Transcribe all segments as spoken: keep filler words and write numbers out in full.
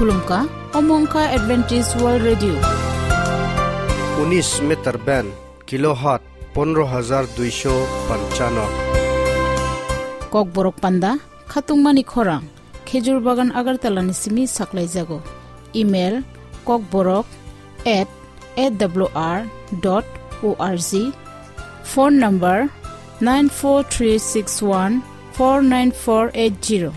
Khulumkha, omo wngkha Adventist World Radio. Unis meter band, kilohertz pondro hajar duisho panchano. Kokborok panda, khatungmani khorang, Khejur Bagan Agartala ni simi saklaijago. Email, kokborok at A W R dot O R G. Phone number, nine four three six one four nine four eight zero.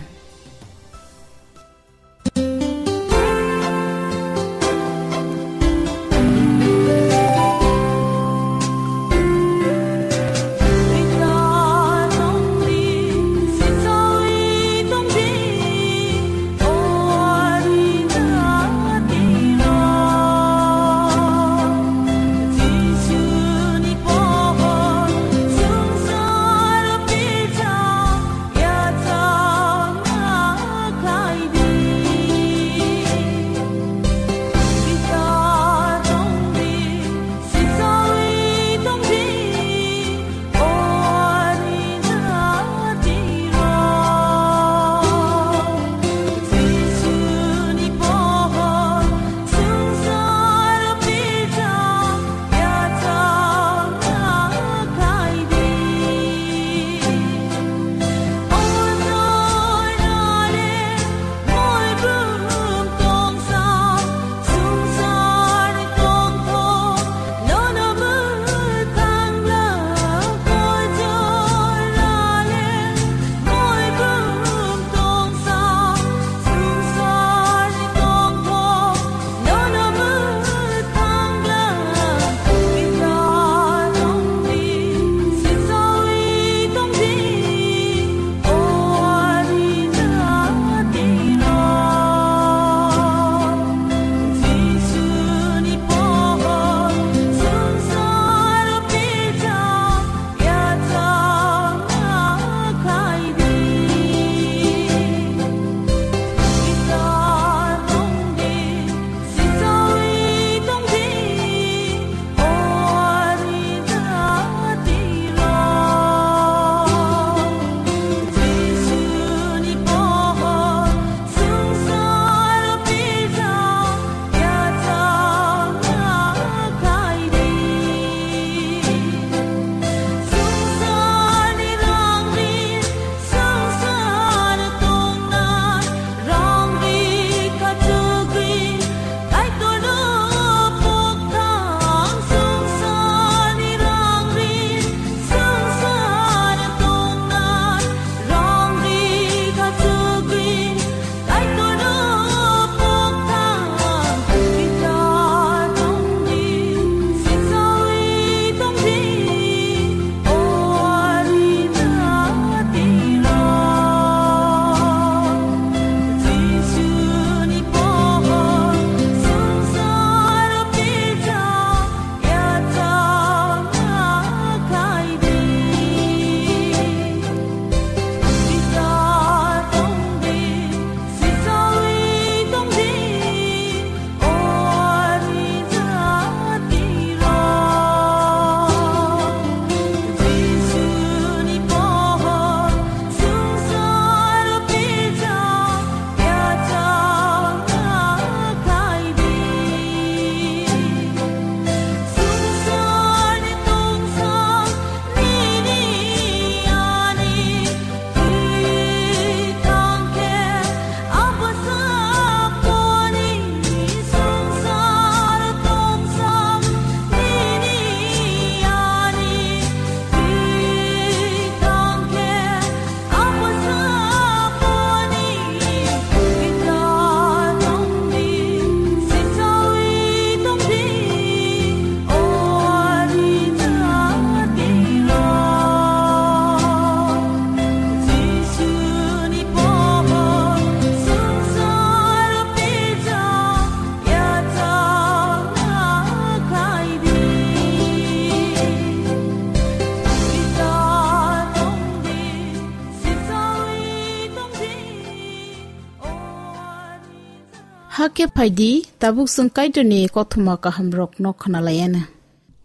Hakhe phaidi, tabuk chwng Kaitorni kothoma kahamrokno khwnalaiana.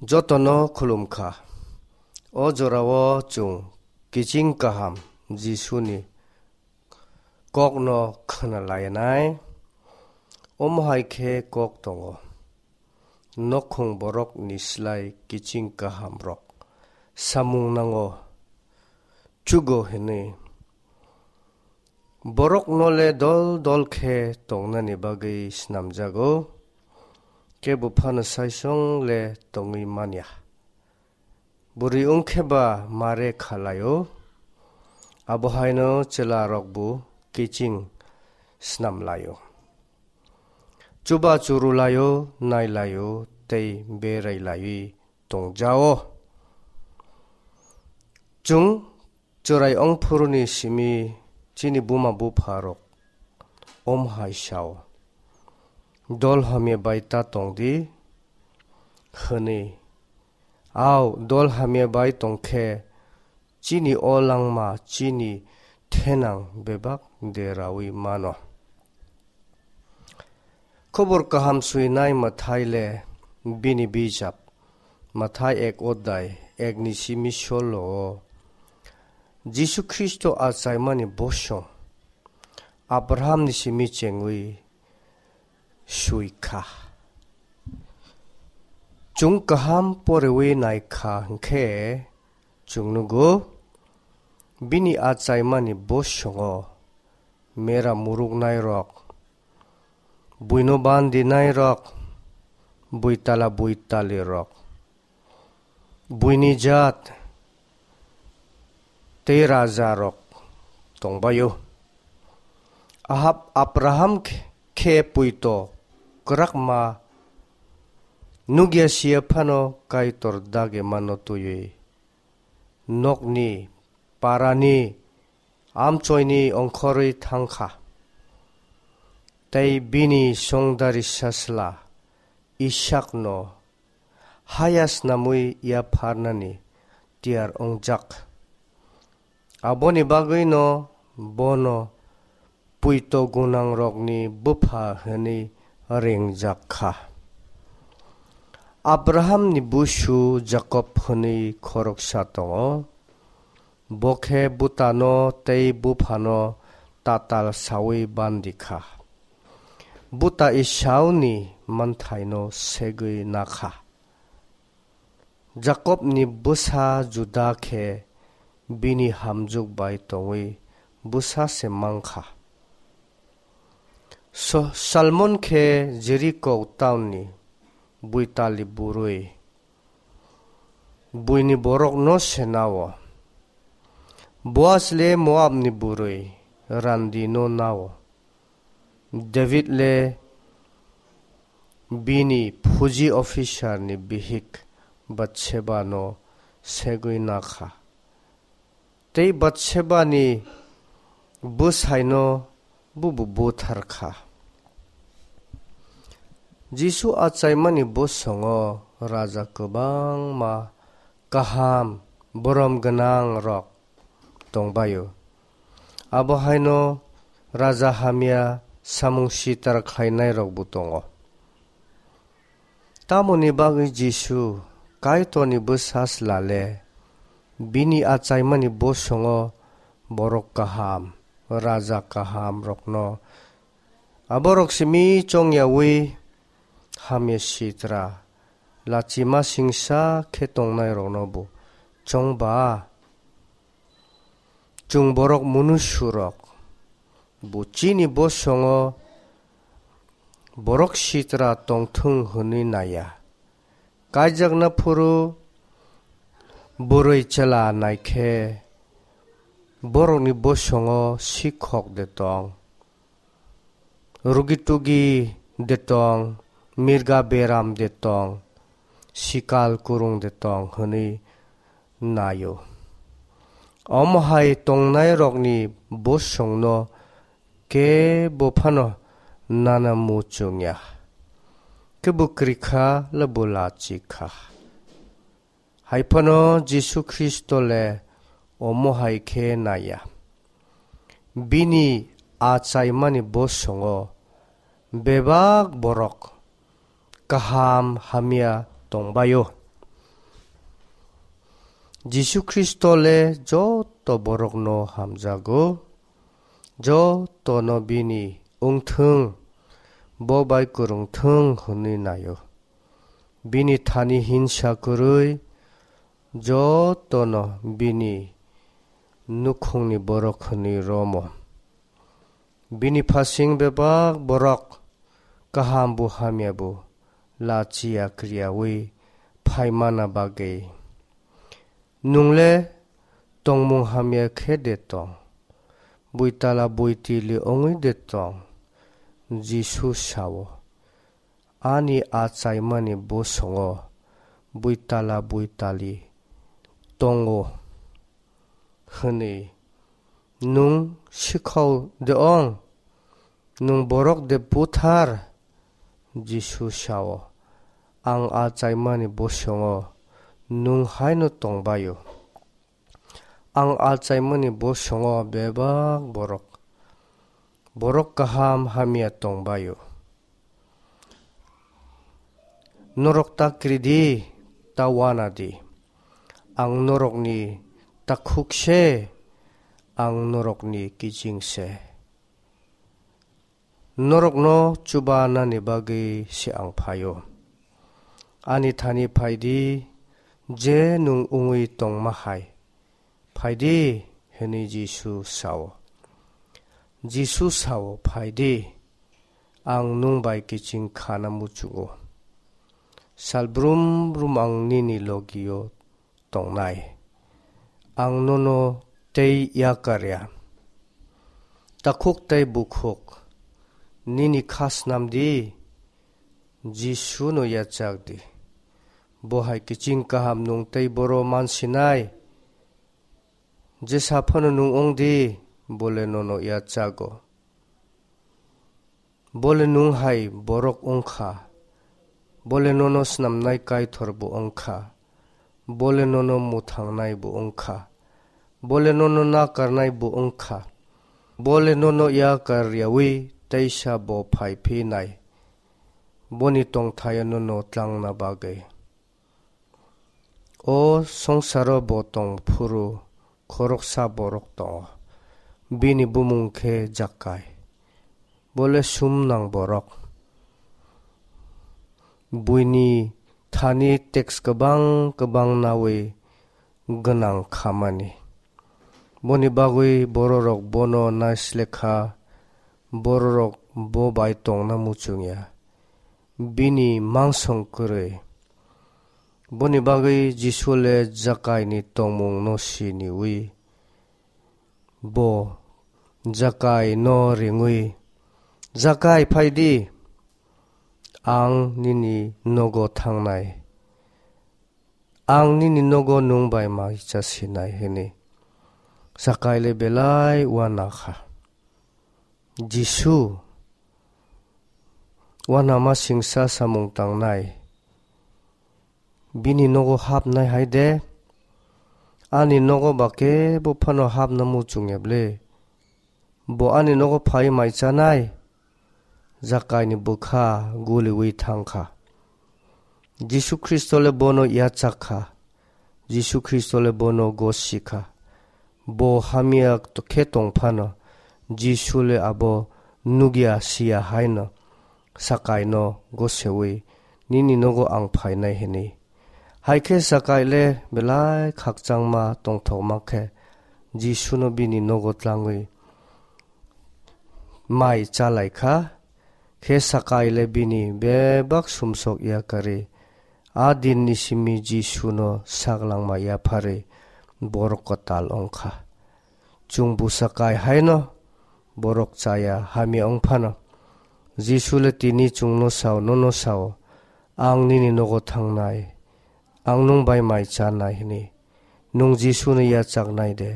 Jotono khulumkha. O jorao chwng kiching kaham Jisuni kokno khwnalaianai. Omo hai khe kok tongo, nokhung borokni slai kiching kahamrok samung nango, chugo hwnwi. Borokno le dol dol khe tongnani bagwi snamjago, kebo phano saisong le tongwi man ya. Bwrwi wng khe ba mare kha lai-o, abo haino chwlarokbo kiching snam lai-o. Chuba churu lai-o, nai lai-o tei berai laiwi tong ja-o. Chwng chwrai ong phuruni simi chini buma bupharok om hai sa-o, "Dol hamya bai ta tong di," hwnwi. Au, dol hamya bai tong khe chini o langma chini thenang bebak deraui mano. Khobor kaham suinai Mathai le bini bijap, Mathai ek odai ek ni simi solo o Jisu Khristo achaimani bosong Abraham ni simi chengwi sui kha. Chwng kaham porewi nai kha hwnkhe chwng nugo bini achaimani bosongo mera muruknairok, buino bandinairok, buitala buitalirok, buini jat tei rajarok tongbaio. Ahab Abraham khe, khe puito kwrakma nukya siya phano Kaitor dagimano twiwi nokni parani amchoini ongkhorwi thangkha. Tei bini songdari sasla Isakno haya snamwi yapharnani tiyar wngjak. Aboni bagwino bono puito gwnangrokni bupha hwnwi ringjak kha. Abrahamni busu Jakob hwnwi khoroksa tongo. Bo khe bwtano tei buphano tatal saui bandi kha. Bwta Esauni manthaino segwi na kha. Jakobni bwsa Juda khe bini hamjwk bai tongwi bwsa se man kha. So-, Salmon khe Jeriko taunni buitali bwrwi, buini borokno se na-o. Boas le Moabni bwrwi, randino na-o. David le bini phuji officerni bihik Batsebano segwi na kha. Tei Batsebani bwsaino bubo buthar kha. Jisu achaimani bosongo raja kwbangma kaham borom gwnangrok tongbaio. Abo haino raja hamya samung sitar khlainairokbo tongo. Tamoni bagwi Jisu Kaitorni bwsa slale bini achaimani bosongo borok kaham, raja kahamrokno aborok simi chongyaui hamya sitra lachima singsa khe tongnairoknobo chongba. Chwng borok munusurok bo chini bosongo borok sitra tongthung hwnwi naiya. Kaijakna phuru bwrwi chwla naikhe borokni bosongo sikhok de tong, rugi tugi de tong, mirga beram de tong, sikal kurung de tong hwnwi naio. Omo hai tongnairokni bosongno kebo phano nana muchungya. Kebo kwrwi kha le bo lachik kha. Hai phano Jisu Khristo le omo hai khe naiya. Bini achaimani bosongo bebak borok kaham hamya tongbaio. Jisu Khristo le joto borokno hamjago, jotono bini wngthung, bo bai kwrwng thung hwnwi nai-o. Bini thani hinsa kwrwi jotono bini nukhungni borok hwnwi romo. Bini phasing bebak borok kaham bo hamya bo lachiya kriyaui phaimana bagwi. Nwng le tongmung hamya khe de tong? Buitala buitili wngwi de tong? Jisu sao, "Ani achaimani bosongo buitala buitali tongo," hwnwi. Nwng sikhao de ong? Nwng borok de buthar? Jisu sao, "Ang achaimani bosongo nwng haino tongbaio. Ang achaimani bosongo bebak borok, borok kaham hamya tongbaio. Norok ta kri di, ta wana di. Ang norokni takhuk se, ang norokni kiching se. Norokno chubanani bagwi se ang phaio. Ani thani phai di, je nwng wngwi tongma hai. Phai di," hwnwi Jisu sao. Jisu sao, "Phai di, ang nwng bai kiching khana muchungo. Sal brum brum ang nini logio tongnai. Ang nono tei yakar ya. Takhuk tei bukhuk, nini kha snam di, Jisu no yachak di. Bo hai kiching kaham nwng tei boro man sinai. Jesa phano nwng wng di, bo le nono yachago. Bo le nwng hai borok wng kha. Bo le nono snamnai Kaitor bo wng kha. Bo le nono mwthangnai bo wng kha. Bo le nono nakarnai bo wng kha. Bo le nono yakar yaui teisa bo phai phi nai. Boni tongthaio nono tlangna bagwi. O songsaro bo tong phuru khoroksa borok tongo. Bini bumung khe Jakai. Bo le sumnang borok. Buini thani teks kwbang kwbang naui gwnang khamani. Boni bagwi bororok bono naislekha, bororok bo bai tongna muchungya. Bini mangsong kwrwi. Boni bagwi Jisu le Jakaini tongmungno siniui, bo Jakaino ringwi, "Jakai, phai di, ang nini nogo thangnai. Ang nini nogo nwng bai maisa sinai," hwnwi. Jakai le belai uanakha. Jisu uanama singsa samung tangnai. Bini nogo hapnai hai de? Ani nogo ba kebo phano hapna muchungya ble? Bo ani nogo phai mai chanai? Jakaini bwkha guliwi thangkha. Jisu Khristo le bono yachak kha. Jisu Khristo le bono gosi kha. Bo hamya khe tong phano, Jisu le abo nugya siya haino Jakaino gosewi, "Nini nogo ang phainai," hwnwi. Hai khe Jakai le belai khakchangma tongthokma khe Jisuno bini nogo tlangwi mai chalai kha. Khe Jakai le bini bebak sumsok yakarwi, a dinni simi Jisuno saklangma yapharwi borok kwtal wng kha. Chwng bwsa kai haino borok chaya hamya wng phano, Jisu le tini chwngno sao, nono sao, "Ang nini nogo thangnai, ang nwng bai mai chanai," hwnwi. Nwng Jisuno yachaknai de,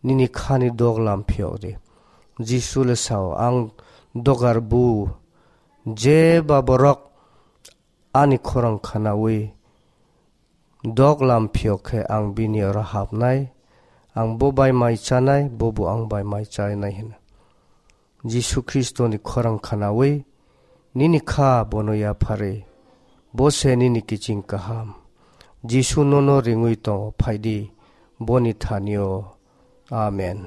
nini khani dok lam phiyok di. Jisu le sao, "Ang dogar bu, je ba borok ani khorang khanaui dok lam phiyok khe ang bini oro hapnai, ang bo bai mai chanai, bo bo ang bai mai chanai," hino. Jisu Khristoni khorang khanaui nini kha bono yapharwi, bo se nini kiching kaham. Jisu nono ringwi tongo, phai di boni thanio. Amen.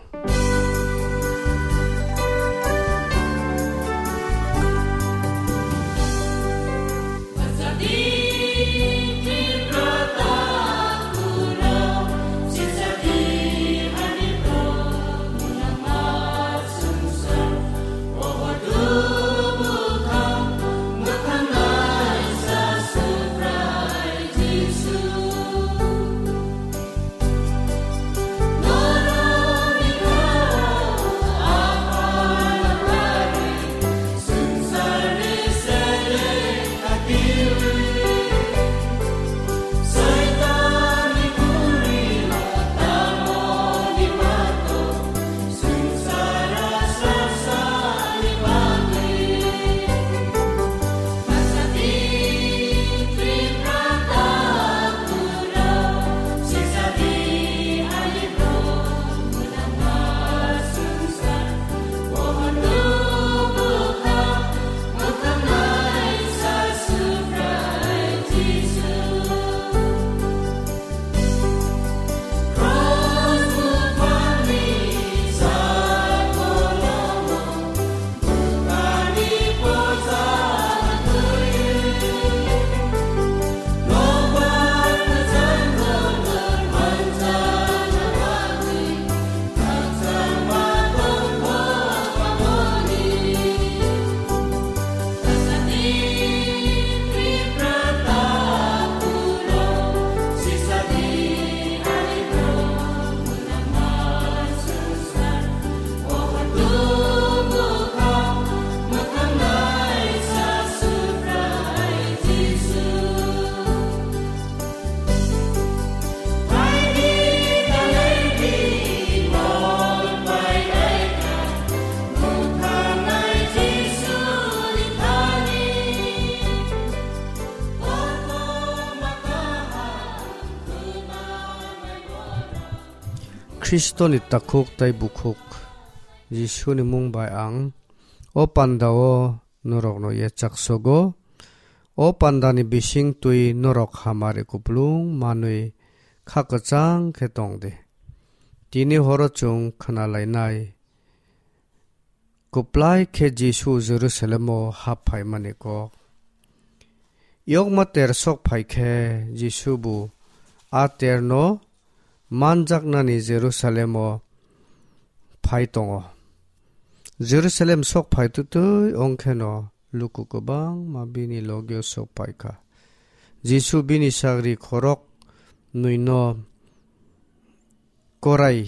Khristoni takhuk tei bukhuk Jisuni mung bai ang o pandao norokno yachak sogo. O pandani bising twi norok hamari kupulung manwi kha kwchang khe tong di. Tini horo chwng khna lainai kwplai khe Jisu Jerusalemo hap phaimani kok. Yokma ter sok phai khe Jisu bo a terno manjaknani Jerusalemo phai tongo. Jerusalem sok phai twtwi ong kheno luku kwbangma bini logio sok phai kha. Jisu bini sagri khorok nwino korai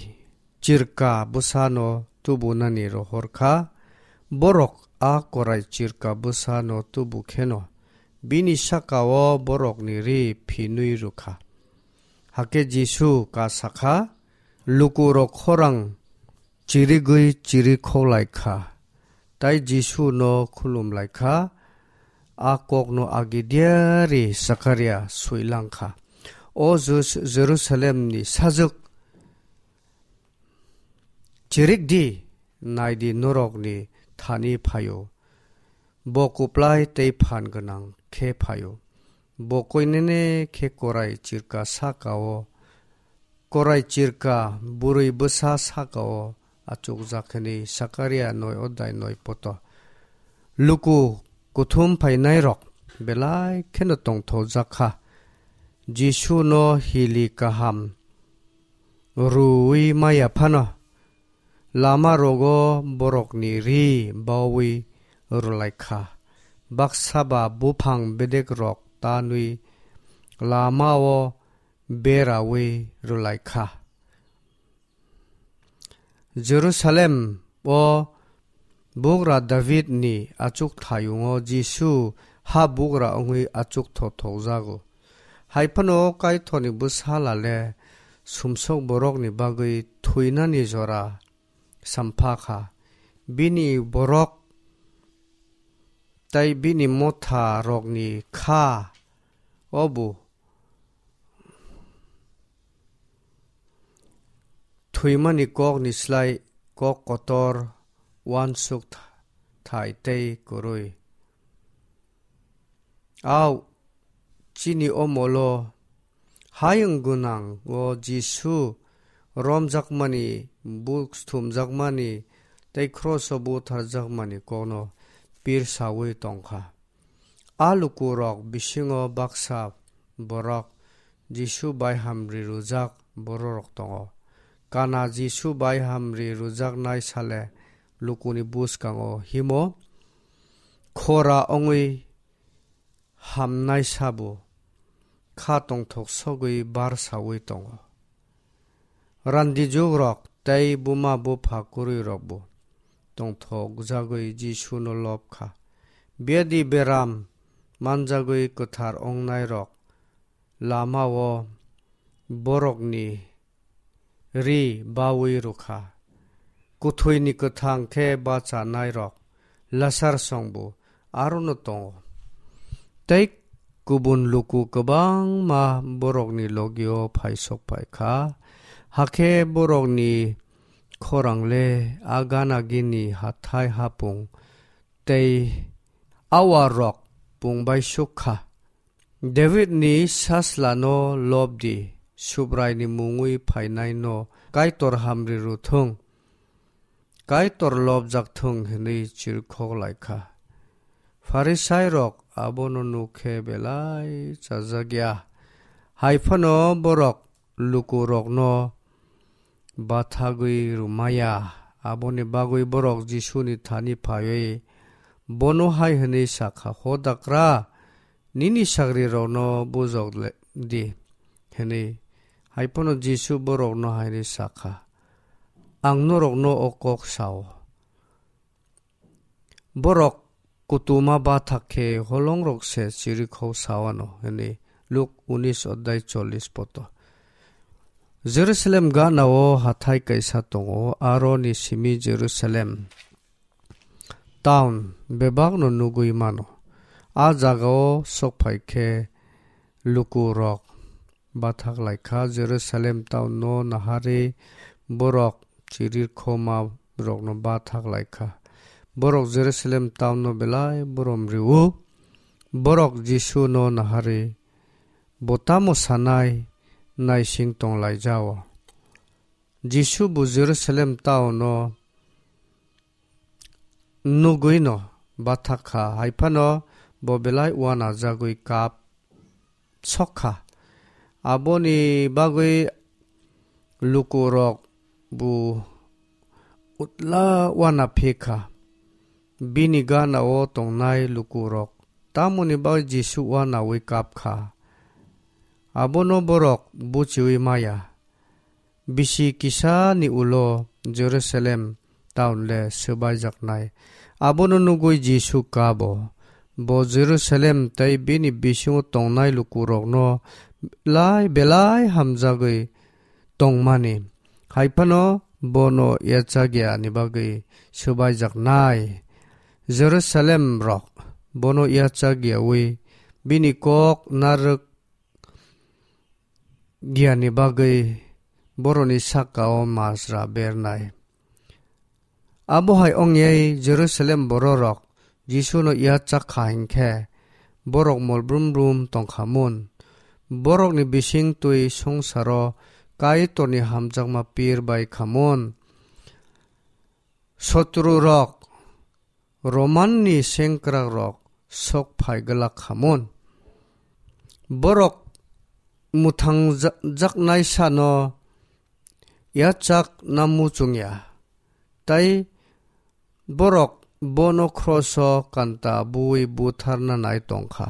chirka bwsano tubunani rohor kha. Borok a korai chirka bwsano tubu kheno bini sakao borokni ri phinwi rwkha. Hakhe Jisu ka sakha, lukurok khorang chirigwi chiri khoklai kha, tai Jisu no khulum lai kha. A kokno agi diari Sakaria swilang kha, "O Jus-, Jerusalemni sajwk, chirik di, nai di, norokni thani phaio, bo kwplai tei phan gwnang khe phaio. Bo koinene khe korai chirka sakao, korai chirka bwrwi bwsa sakao achukjak," hwnwi Sakaria noi odai noi poto. Luku kuthum phainairok belai kheno tongthokjak kha. Jisu no hili kaham rwui maya phano, lama rogo borokni ri baui rwlai kha. Baksa ba buphang bedek rok tanwi lama o beraui rwlai kha. Jerusalem o bugra David ni achuk thayungo Jisu ha bugra wngwi achuk thothokjago. Hai phano Kaitorni bwsala le sumsok borokni bagwi thwinani jora sampha kha. Bini borok tei bini motha rokni kha obo thwimani kokni slai kok kotor, uansuk thai tei kwrwi. Au, chini omolo hayung gwnang o Jisu romjakmani, buk sthumjakmani tei kroso butharjakmani kokno pirsaui tongkha. A lukurok bisingo baksa borok Jisu bai hamri rwjak bororok tongo. Kana Jisu bai hamri rwjaknai sale lukuni bwskango himo khora wngwi hamnai sabo kha tongthok sogwi bar saui tongo. Randi jugrok tei buma bupha kwrwirokbo tongthokjagwi Jisuno lob kha. Biyadi beram manjagwi kwthar wngnairok lamao borokni ri baui rwkha. Kuthwini kwthang khe bachanairok Lasar songbo arono tongo. Tei kubun luku kwbangma borokni logio phaisok phai kha. Hakhe borokni khorang le a gana gini hathai hapung tei awarrok pung bai suk kha. Davidni saslano lob di, Subraini mungwi phainaino Kaitor hamri rw thung, Kaitor lobjak thung, hwnwi chirikhok lai kha. Pharisairok abono nuk khe belai chajak ya, hai phano borok lukurokno bathagwi rwmaya. Aboni bagwi borok Jisuni thani phaiwi bono hai hwnwi sa kha, "Hodakra, nini sagrirokno bujok le-, di," hwnwi. Hai phano Jisu borokno hai hwnwi sa kha, "Ang norokno o kok sa-o." Borok kutuma bathak khe holongrok se chirikhok sa-o ano, hwnwi Luk unis odhyay chollish poto. Jerusalem gana-o hathai kaisa tongo, aroni simi Jerusalem town bebakno nugwi mano. A jagao sokphai khe lukurok bathak lai kha, Jerusalem town-no naharwi borok chirir khoma rokno bathak lai kha. Borok Jerusalem town no belai borom rio. Borok Jisu no nahari bo tamo sanai naising tong lai jao. Jisu bo Jerusalem town no nugwi no bathak kha, hai phano bo belai uana jagwi kap sok kha. Aboni bagwi lukurok bo utla uana phi kha. Bini gana o tongnai lukurok tamoni bagwi Jisu uanaui kap kha, abono borok buchiui maya. Bisi kisa ni ulo Jerusalem town le swbaijaknai. Abono nugwi Jisu kabo. Bo Jerusalem tei bini bisingo tongnai lukurokno lai belai hamjagwi tongmani. Hai phano bono yachakya ni bagwi swbaijaknai. Jerusalem rok bono yachakyaui bini kok narwk giani bagwi boroni saka-o majra bernai. Abo hai ongwi Jerusalem bororok Jisuno yachak kha hinkhe borok mol brum brum tong kha mun. Borokni bising twi songsaro Kaitorni hamjakma pir bai kha mun. Sotrurok Romanni sengkrakrok sok phai glak kha mun. Borok mwthang ja-, jaknai sano yachak na muchung ya, tei borok bono khroso kanta bui butharna nai tong kha.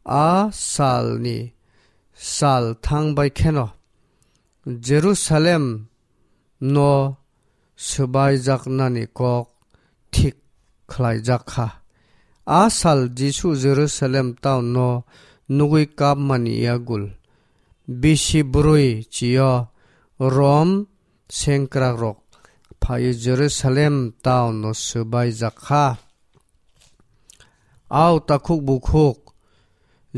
A salni sal thang bai kheno Jerusalem no swbaijaknani kok thik khlaijak kha. A sal Jisu Jerusalem town no nugwi kapmani yagul bisi bwrwi chio Rom sengkrakrok phaiwi Jerusalem town no swbaijak kha. Au takhuk bukhuk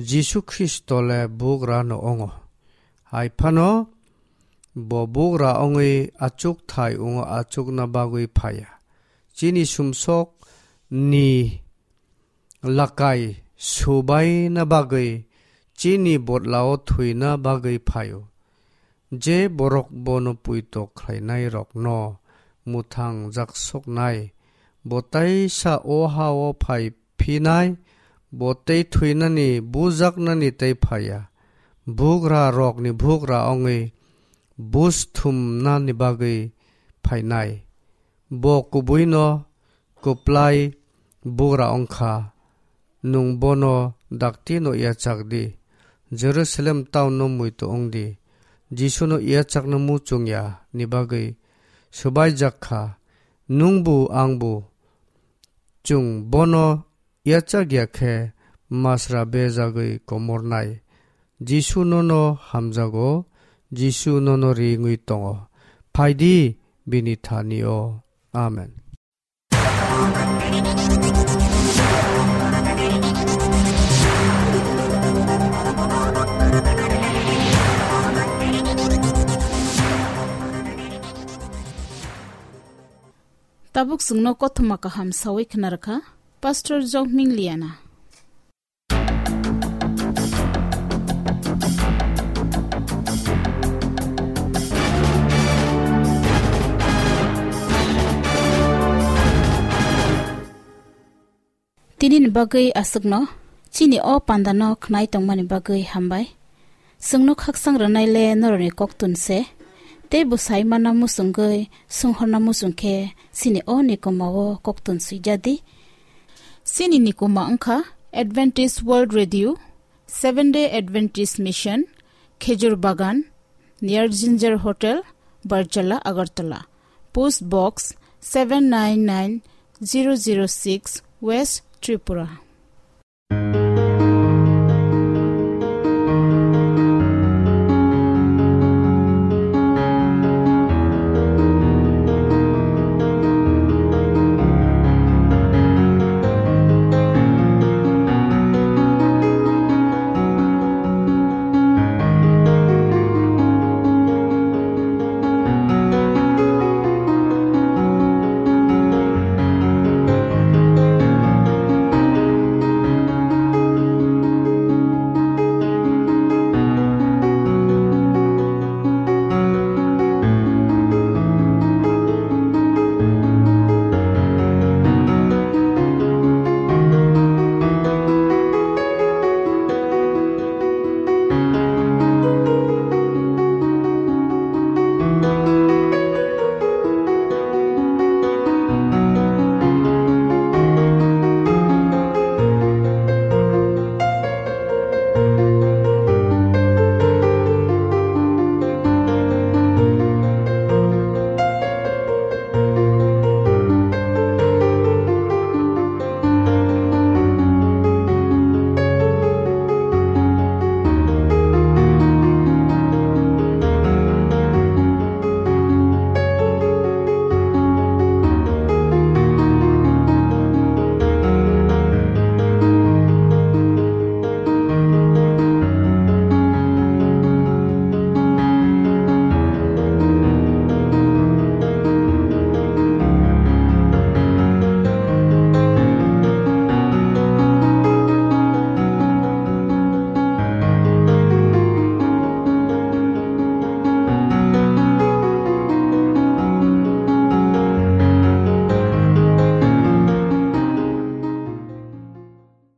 Jisu Khristo le bugra no ongo. Hai phano bo bugra ongwi achuk thai ongo, achukna bagwi phaiya. Chini sumsok ni lakai subaina bagwi, chini bodlao thwina bagwi phaio. Je borok bono puito khlainairokno mwthang jaksoknai, bo teisa o ha-o phai phinai, bo tei thwinani, bujaknani tei phaiya. Bugrarokni bugra wngwi buj thumnani bagwi phainai. Bo kubuino kwplai bugra wng kha, nwng bono daktino yachak di. Jerusalem town-no muitu wng di. Jisuno yachakna muchung ya ni bagwi swbaijak kha, nwngbu angbu. Chwng bono yachak ya khe masra bejagwi komornai. Jisu nono hamjago, Jisu nono ringwi tongo. Phai di bini thani-o. Amen. Tabuk chwngno kothoma kaham sawi khna rwkha Pastor Jokming Liana. Tini ni bagwi aswkno, chini o panda no khnai tongmani bagwi hambai. Chwngno khaksang rwnai le norokni koktun se, tei bwsai manna muchungwi swnghorna muchung khe chini o ni koma o koktun swijak di. Chini ni koma wngkha Adventist World Radio, Seventh Day Adventist Mission, Khejur Bagan, near Ginger Hotel, Barjala, Agartala. Post Box seven nine nine zero zero six, West Tripura.